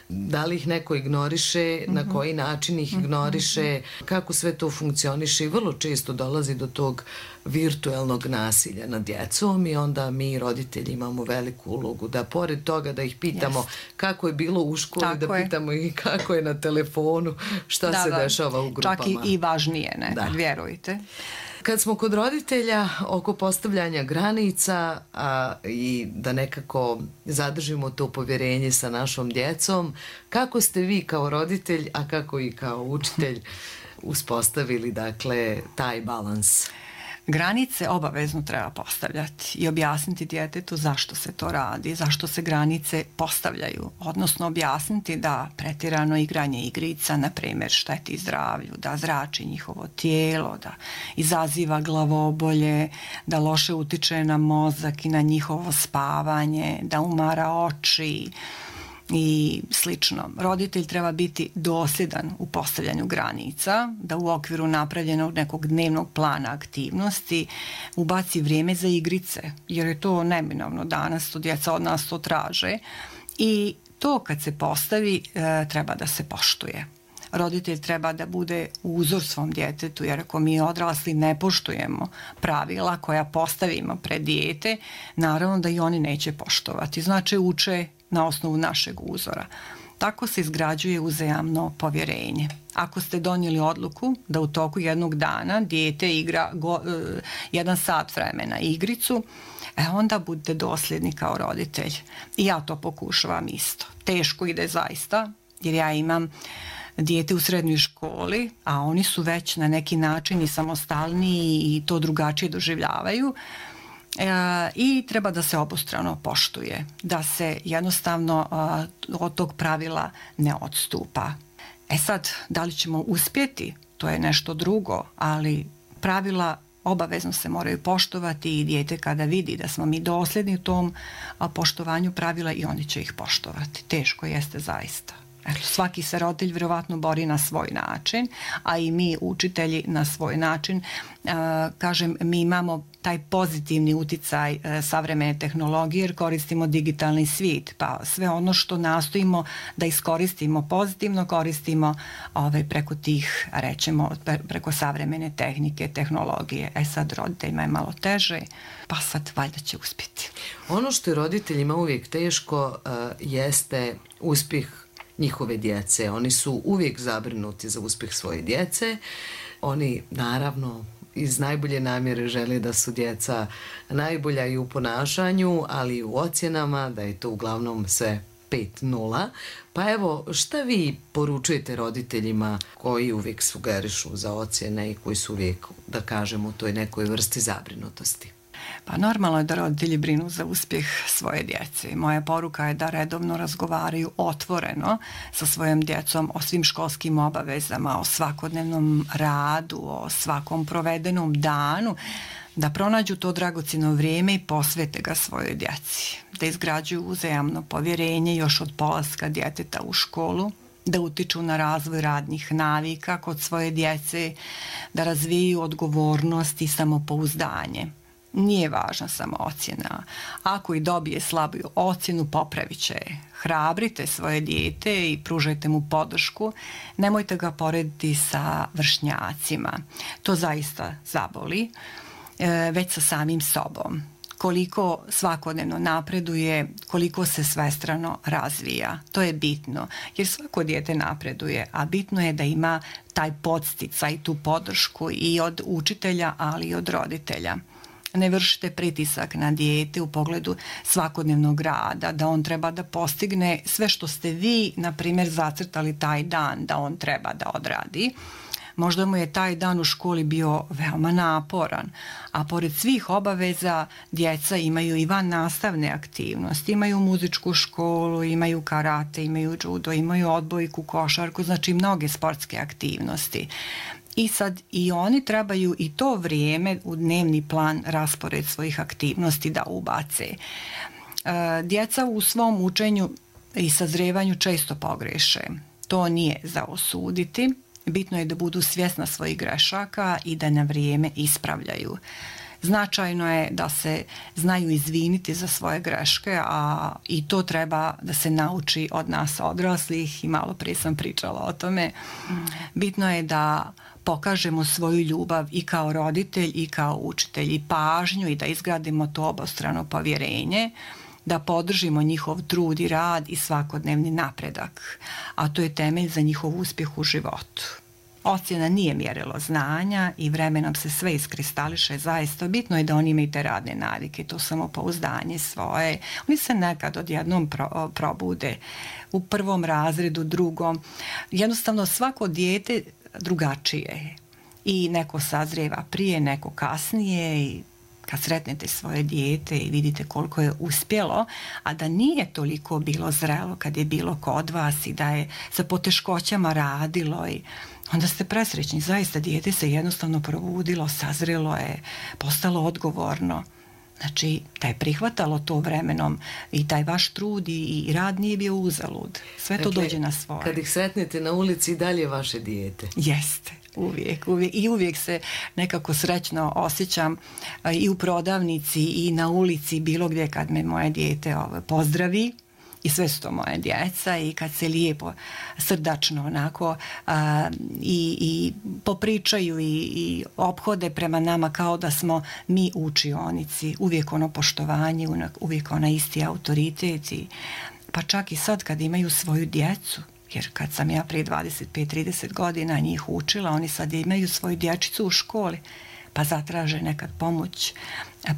[SPEAKER 9] da li ih neko ignoriše, na koji način ih ignoriše, kako sve to funkcioniše i vrlo često dolazi do tog virtuelnog nasilja nad djecom i onda mi roditelji imamo veliku ulogu da pored toga da ih pitamo kako je bilo u školi, da pitamo i kako je na telefonu, šta se dešava u grupama.
[SPEAKER 10] Čak i važnije nekad, vjerujte.
[SPEAKER 9] Kad smo kod roditelja oko postavljanja granica i da nekako zadržimo to povjerenje sa našom djecom, kako ste vi kao roditelj, a kako i kao učitelj uspostavili dakle taj balans?
[SPEAKER 10] Granice obavezno treba postavljati i objasniti djetetu zašto se to radi, zašto se granice postavljaju, odnosno objasniti da pretjerano igranje igrica, na primjer, šteti zdravlju, da zrači njihovo tijelo, da izaziva glavobolje, da loše utiče na mozak i na njihovo spavanje, da umara oči i slično. Roditelj treba biti dosljedan u postavljanju granica, da u okviru napravljenog nekog dnevnog plana aktivnosti ubaci vrijeme za igrice, jer je to neminovno danas, to djeca od nas to traže i to kad se postavi treba da se poštuje. Roditelj treba da bude uzor svom djetetu, jer ako mi odrasli ne poštujemo pravila koja postavimo pred dijete, naravno da i oni neće poštovati. Znači uče na osnovu našeg uzora. Tako se izgrađuje uzajamno povjerenje. Ako ste donijeli odluku da u toku jednog dana dijete igra 1 sat vremena igricu, onda budete dosljedni kao roditelj. I ja to pokušavam isto. Teško ide zaista, jer ja imam dijete u srednjoj školi, a oni su već na neki način i samostalniji i to drugačije doživljavaju. I treba da se obostrano poštuje, da se jednostavno od tog pravila ne odstupa. Sad, da li ćemo uspjeti, to je nešto drugo, ali pravila obavezno se moraju poštovati i dijete kada vidi da smo mi dosljedni u tom poštovanju pravila i oni će ih poštovati. Teško jeste zaista. Svaki se roditelj vjerovatno bori na svoj način, a i mi učitelji na svoj način. Kažem, mi imamo taj pozitivni uticaj savremene tehnologije jer koristimo digitalni svijet, pa sve ono što nastojimo da iskoristimo pozitivno, koristimo preko tih, rećemo, preko savremene tehnike, tehnologije. Sad roditeljima je malo teže, pa sad valjda će uspjeti.
[SPEAKER 9] Ono što je roditeljima uvijek teško jeste uspjeh njihove djece. Oni su uvijek zabrinuti za uspjeh svoje djece. Oni naravno iz najbolje namjere žele da su djeca najbolja i u ponašanju, ali i u ocjenama, da je to uglavnom sve 5-0. Pa evo, šta vi poručujete roditeljima koji uvijek sugerišu za ocjene i koji su uvijek, da kažemo, u toj nekoj vrsti zabrinutosti?
[SPEAKER 10] Pa normalno je da roditelji brinu za uspjeh svoje djece. Moja poruka je da redovno razgovaraju otvoreno sa svojom djecom o svim školskim obavezama, o svakodnevnom radu, o svakom provedenom danu, da pronađu to dragocjeno vrijeme i posvete ga svojoj djeci, da izgrađuju uzajamno povjerenje još od polaska djeteta u školu, da utiču na razvoj radnih navika kod svoje djece, da razvijaju odgovornost i samopouzdanje. Nije važna samo ocjena. Ako i dobije slabu ocjenu, popravit će. Hrabrite svoje dijete i pružajte mu podršku. Nemojte ga porediti sa vršnjacima. To zaista zaboli, već sa samim sobom. Koliko svakodnevno napreduje, koliko se svestrano razvija. To je bitno, jer svako dijete napreduje, a bitno je da ima taj podsticaj, tu podršku i od učitelja, ali i od roditelja. Ne vršite pritisak na dijete u pogledu svakodnevnog rada, da on treba da postigne sve što ste vi, na primjer, zacrtali taj dan da on treba da odradi. Možda mu je taj dan u školi bio veoma naporan, a pored svih obaveza djeca imaju i van nastavne aktivnosti, imaju muzičku školu, imaju karate, imaju judo, imaju odbojku, košarku, znači mnoge sportske aktivnosti. I sad i oni trebaju i to vrijeme u dnevni plan, raspored svojih aktivnosti da ubace. Djeca u svom učenju i sazrevanju često pogreše. To nije za osuditi. Bitno je da budu svjesna svojih grešaka i da na vrijeme ispravljaju. Značajno je da se znaju izviniti za svoje greške, a i to treba da se nauči od nas odraslih i malo prije sam pričala o tome. Bitno je da pokažemo svoju ljubav i kao roditelj i kao učitelj i pažnju i da izgradimo to obostrano povjerenje, da podržimo njihov trud i rad i svakodnevni napredak, a to je temelj za njihov uspjeh u životu. Ocjena nije mjerilo znanja i vremenom se sve iskristališe. Zaista bitno je da oni imaju te radne navike, to samopouzdanje svoje. Oni se nekad odjednom probude u prvom razredu, drugom. Jednostavno svako dijete drugačije je. I neko sazrijeva prije, neko kasnije i kad sretnete svoje dijete i vidite koliko je uspjelo, a da nije toliko bilo zrelo kad je bilo kod vas i da je sa poteškoćama radilo, i onda ste presrećni. Zaista dijete se jednostavno probudilo, sazrelo je, postalo odgovorno. Znači, da je prihvatalo to vremenom i taj vaš trud i rad nije bio uzalud. Sve to dođe na svoje.
[SPEAKER 9] Kad ih sretnete na ulici i dalje vaše dijete.
[SPEAKER 10] Jeste. Uvijek. I uvijek se nekako srećno osjećam i u prodavnici i na ulici, bilo gdje kad me moje dijete pozdravi. I sve su to moje djeca i kad se lijepo, srdačno onako i popričaju i ophode prema nama kao da smo mi u učionici. Uvijek ono poštovanje, uvijek ona isti autoritet. Pa čak i sad kad imaju svoju djecu, jer kad sam ja prije 25-30 godina njih učila, oni sad imaju svoju dječicu u školi, pa zatraže nekad pomoć,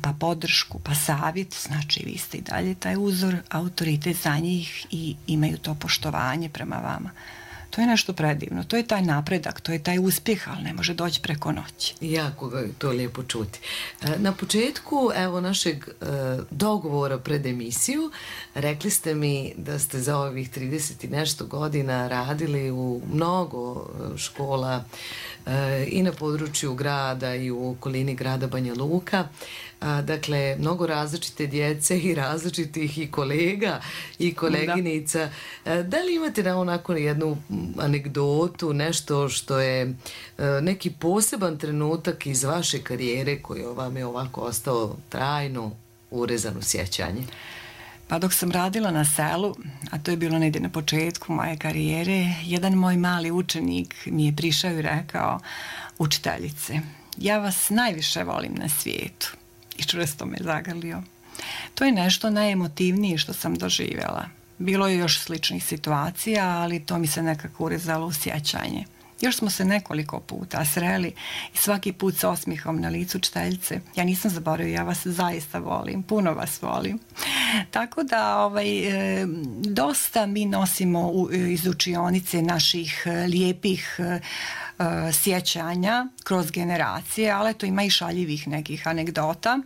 [SPEAKER 10] pa podršku, pa savjet, znači vi ste i dalje taj uzor, autoritet za njih i imaju to poštovanje prema vama. To je nešto predivno, to je taj napredak, to je taj uspjeh, ali ne može doći preko noći.
[SPEAKER 9] Jako ga je to lijepo čuti. Na početku evo našeg dogovora pred emisiju rekli ste mi da ste za ovih 30 i nešto godina radili u mnogo škola i na području grada i u okolini grada Banja Luka. Dakle, mnogo različite djece i različitih i kolega i koleginica. Da li imate na onako jednu anegdotu, nešto što je neki poseban trenutak iz vaše karijere koji vam je ovako ostao trajno urezan u sjećanje?
[SPEAKER 10] Pa dok sam radila na selu, a to je bilo negdje na početku moje karijere, jedan moj mali učenik mi je prišao i rekao: učiteljice, ja vas najviše volim na svijetu. I čvrsto me zagrlio. To je nešto najemotivnije što sam doživjela. Bilo je još sličnih situacija, ali to mi se nekako urezalo u sjećanje. Još smo se nekoliko puta sreli i svaki put sa osmijehom na licu: učiteljice, ja nisam zaboravio, ja vas zaista volim, puno vas volim. Tako da dosta mi nosimo iz učionice naših lijepih sjećanja kroz generacije, ali to ima i šaljivih nekih anegdota.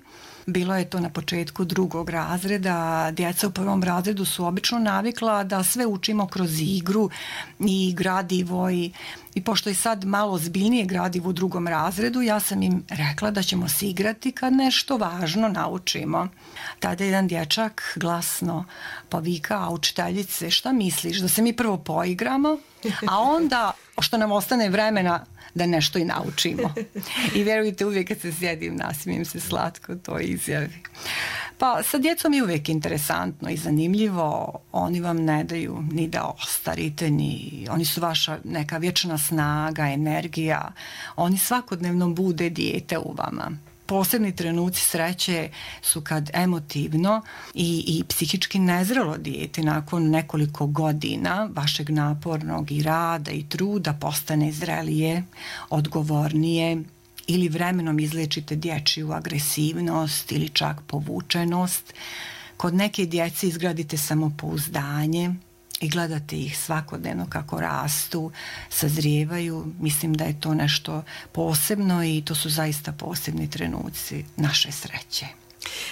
[SPEAKER 10] Bilo je to na početku 2. razreda. Djeca u 1. razredu su obično navikla da sve učimo kroz igru i gradivo i pošto je sad malo ozbiljnije gradivo u 2. razredu, ja sam im rekla da ćemo se igrati kad nešto važno naučimo. Tada jedan dječak glasno povika: a učiteljice, šta misliš, da se mi prvo poigramo, a onda što nam ostane vremena da nešto i naučimo. I vjerujte, uvijek kad se sjedim, nasmijem se slatko toj izjavi. Pa sa djecom je uvijek interesantno i zanimljivo. Oni vam ne daju ni da ostarite, oni su vaša neka vječna snaga, energija. Oni svakodnevno bude dijete u vama. Posebni trenuci sreće su kad emotivno i psihički nezrelo dijete nakon nekoliko godina vašeg napornog i rada i truda postane zrelije, odgovornije, ili vremenom izliječite dječju agresivnost ili čak povučenost. Kod neke djece izgradite samopouzdanje i gledate ih svakodnevno kako rastu, sazrijevaju. Mislim da je to nešto posebno i to su zaista posebni trenuci naše sreće.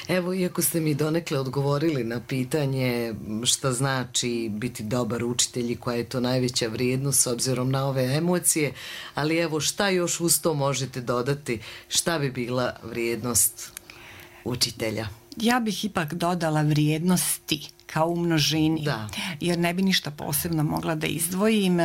[SPEAKER 9] Evo, iako ste mi donekle odgovorili na pitanje šta znači biti dobar učitelj i koja je to najveća vrijednost s obzirom na ove emocije, ali evo, šta još uz to možete dodati, šta bi bila vrijednost učitelja?
[SPEAKER 10] Ja bih ipak dodala vrijednosti kao u množini,
[SPEAKER 9] Da.
[SPEAKER 10] jer ne bi ništa posebno mogla da izdvojim.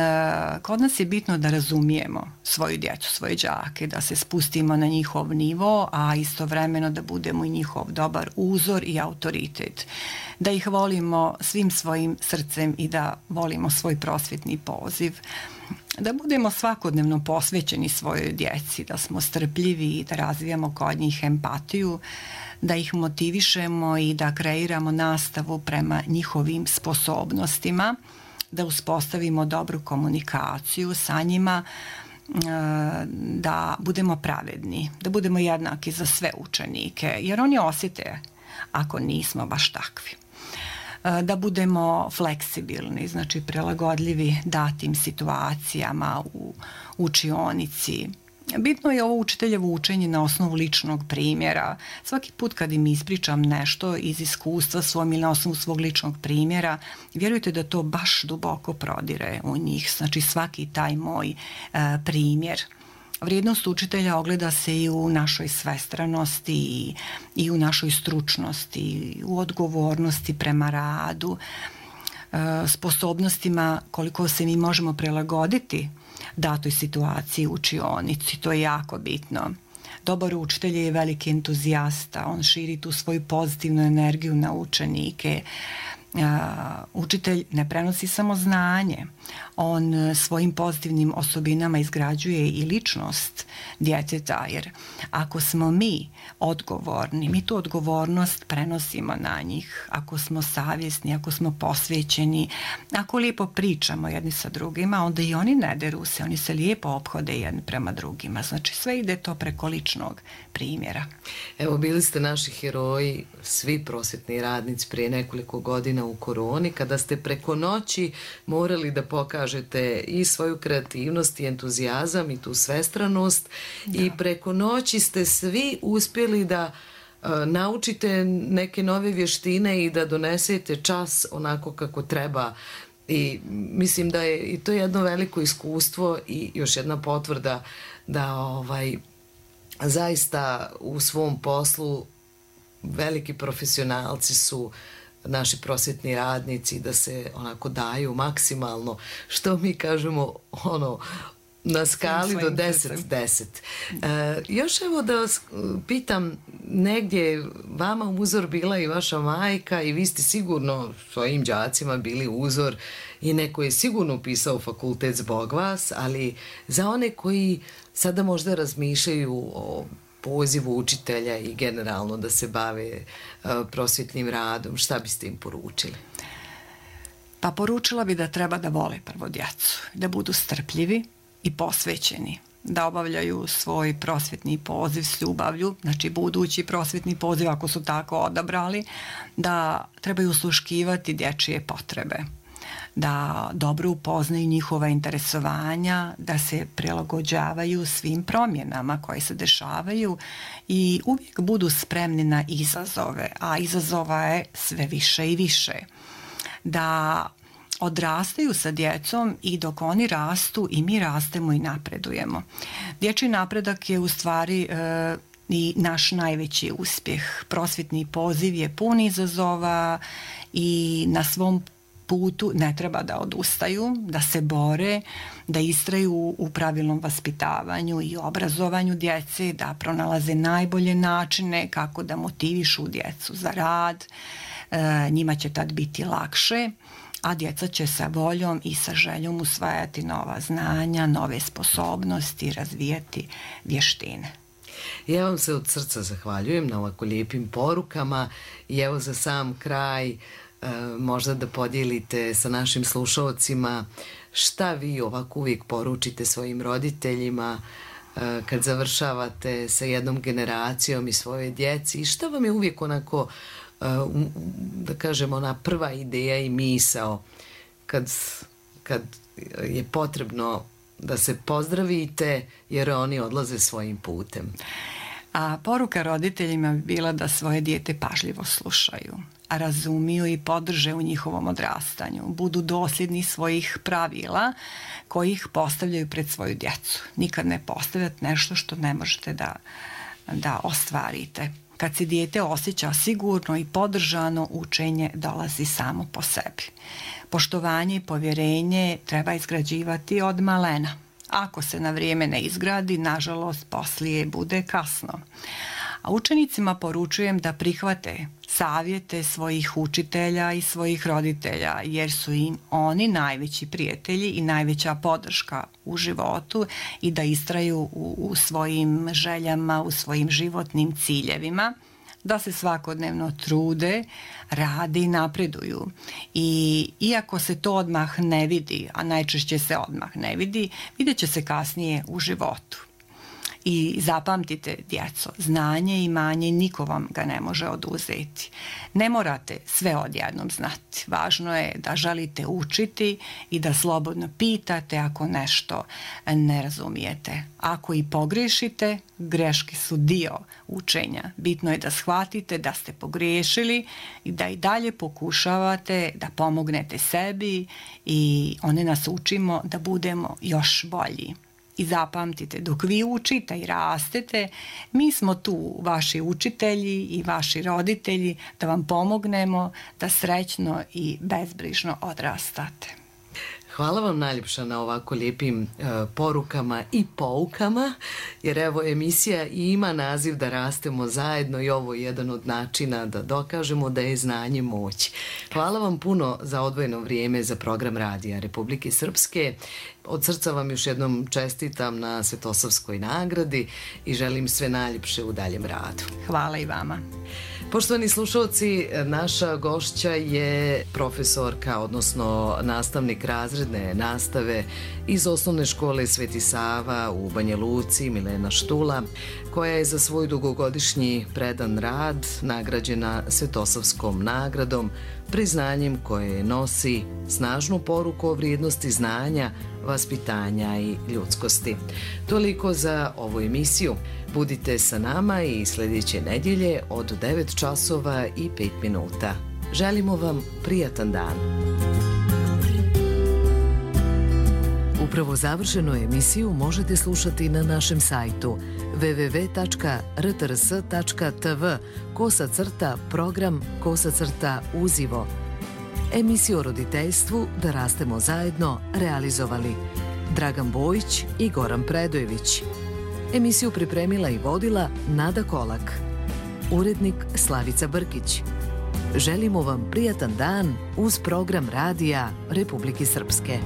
[SPEAKER 10] Kod nas je bitno da razumijemo svoju djecu, svoje đake, da se spustimo na njihov nivo, a istovremeno da budemo i njihov dobar uzor i autoritet. Da ih volimo svim svojim srcem i da volimo svoj prosvjetni poziv. Da budemo svakodnevno posvećeni svojoj djeci, da smo strpljivi i da razvijamo kod njih empatiju, da ih motivišemo i da kreiramo nastavu prema njihovim sposobnostima, da uspostavimo dobru komunikaciju sa njima, da budemo pravedni, da budemo jednaki za sve učenike, jer oni osjete ako nismo baš takvi. Da budemo fleksibilni, znači prilagodljivi datim situacijama u učionici. Bitno je ovo učiteljevo učenje na osnovu ličnog primjera. Svaki put kad im ispričam nešto iz iskustva svom ili na osnovu svog ličnog primjera, vjerujte da to baš duboko prodire u njih. Znači svaki taj moj primjer. Vrijednost učitelja ogleda se i u našoj svestranosti i u našoj stručnosti, u odgovornosti prema radu, sposobnostima koliko se mi možemo prilagoditi datoj situaciji u učionici. To je jako bitno. Dobar učitelj je veliki entuzijasta, on širi tu svoju pozitivnu energiju na učenike. Učitelj ne prenosi samo znanje, on svojim pozitivnim osobinama izgrađuje i ličnost djeteta, jer ako smo mi odgovorni, mi tu odgovornost prenosimo na njih. Ako smo savjesni, ako smo posvećeni, ako lijepo pričamo jedni sa drugima, onda i oni ne deru se, oni se lijepo ophode jedni prema drugima. Znači sve ide to preko ličnog primjera.
[SPEAKER 9] Evo, bili ste naši heroji, svi prosvjetni radnici prije nekoliko godina u koroni, kada ste preko noći morali da pokažete i svoju kreativnost i entuzijazam i tu svestranost i preko noći ste svi uspjeli da naučite neke nove vještine i da donesete čas onako kako treba. I mislim da je i to jedno veliko iskustvo i još jedna potvrda da zaista u svom poslu veliki profesionalci su naši prosvjetni radnici, da se onako daju maksimalno, što mi kažemo na skali do 10-10. Još evo da vas pitam, negdje vama uzor bila i vaša majka i vi ste sigurno svojim đacima bili uzor i neko je sigurno upisao fakultet zbog vas, ali za one koji sada možda razmišljaju o pozivu učitelja i generalno da se bave prosvjetnim radom, šta biste im poručili?
[SPEAKER 10] Pa poručila bi da treba da vole prvo djecu, da budu strpljivi i posvećeni, da obavljaju svoj prosvjetni poziv s ljubavlju, znači budući prosvjetni poziv ako su tako odabrali, da trebaju usluškivati dječje potrebe, da dobro upoznaju njihova interesovanja, da se prilagođavaju svim promjenama koje se dešavaju i uvijek budu spremni na izazove, a izazova je sve više i više. Da odrastaju sa djecom i dok oni rastu i mi rastemo i napredujemo. Dječji napredak je u stvari i naš najveći uspjeh. Prosvjetni poziv je pun izazova i na svom putu ne treba da odustaju, da se bore, da istraju u pravilnom vaspitavanju i obrazovanju djece, da pronalaze najbolje načine kako da motivišu djecu za rad. Njima će tad biti lakše, a djeca će sa voljom i sa željom usvajati nova znanja, nove sposobnosti, razvijati vještine.
[SPEAKER 9] Ja vam se od srca zahvaljujem na ovako lijepim porukama i evo za sam kraj možda da podijelite sa našim slušalcima šta vi ovako uvijek poručite svojim roditeljima kad završavate sa jednom generacijom i svoje djeci i šta vam je uvijek onako, da kažemo, ona prva ideja i misao kad je potrebno da se pozdravite jer oni odlaze svojim putem.
[SPEAKER 10] A poruka roditeljima bi bila da svoje dijete pažljivo slušaju, a razumiju i podrže u njihovom odrastanju, budu dosljedni svojih pravila koji ih postavljaju pred svoju djecu. Nikad ne postavljati nešto što ne možete da ostvarite. Kad se dijete osjeća sigurno i podržano, učenje dolazi samo po sebi. Poštovanje i povjerenje treba izgrađivati od malena. Ako se na vrijeme ne izgradi, nažalost, poslije bude kasno. A učenicima poručujem da prihvate savjete svojih učitelja i svojih roditelja, jer su im oni najveći prijatelji i najveća podrška u životu i da istraju u svojim željama, u svojim životnim ciljevima, da se svakodnevno trude, rade i napreduju. I iako se to odmah ne vidi, a najčešće se odmah ne vidi, vidjet će se kasnije u životu. I zapamtite, djeco, znanje i imanje niko vam ga ne može oduzeti. Ne morate sve odjednom znati. Važno je da želite učiti i da slobodno pitate ako nešto ne razumijete. Ako i pogrešite, greške su dio učenja. Bitno je da shvatite da ste pogriješili i da i dalje pokušavate da pomognete sebi i one nas učimo da budemo još bolji. I zapamtite, dok vi učite i rastete, mi smo tu, vaši učitelji i vaši roditelji, da vam pomognemo da srećno i bezbrižno odrastate.
[SPEAKER 9] Hvala vam najljepša na ovako lijepim porukama i poukama, jer evo emisija ima naziv Da rastemo zajedno i ovo je jedan od načina da dokažemo da je znanje moć. Hvala vam puno za odvojeno vrijeme za program Radija Republike Srpske. Od srca vam još jednom čestitam na Svetosavskoj nagradi i želim sve najljepše u daljem radu.
[SPEAKER 10] Hvala i vama.
[SPEAKER 9] Poštovani slušalci, naša gošća je profesorka, odnosno nastavnik razredne nastave iz osnovne škole Sveti Sava u Banja Luci, Milena Štula, koja je za svoj dugogodišnji predan rad nagrađena Svetosavskom nagradom, priznanjem koje nosi snažnu poruku o vrijednosti znanja, vaspitanja i ljudskosti. Toliko za ovu emisiju. Budite sa nama i sljedeće nedjelje od 9 časova i 5 minuta. Želimo vam prijatan dan. Upravo završenu emisiju možete slušati na našem sajtu www.rtrs.tv/program/uzivo. Emisiju o roditeljstvu Da rastemo zajedno realizovali Dragan Bojić i Goran Predojević. Emisiju pripremila i vodila Nada Kolak. Urednik Slavica Brkić. Želimo vam prijatan dan uz program Radija Republike Srpske.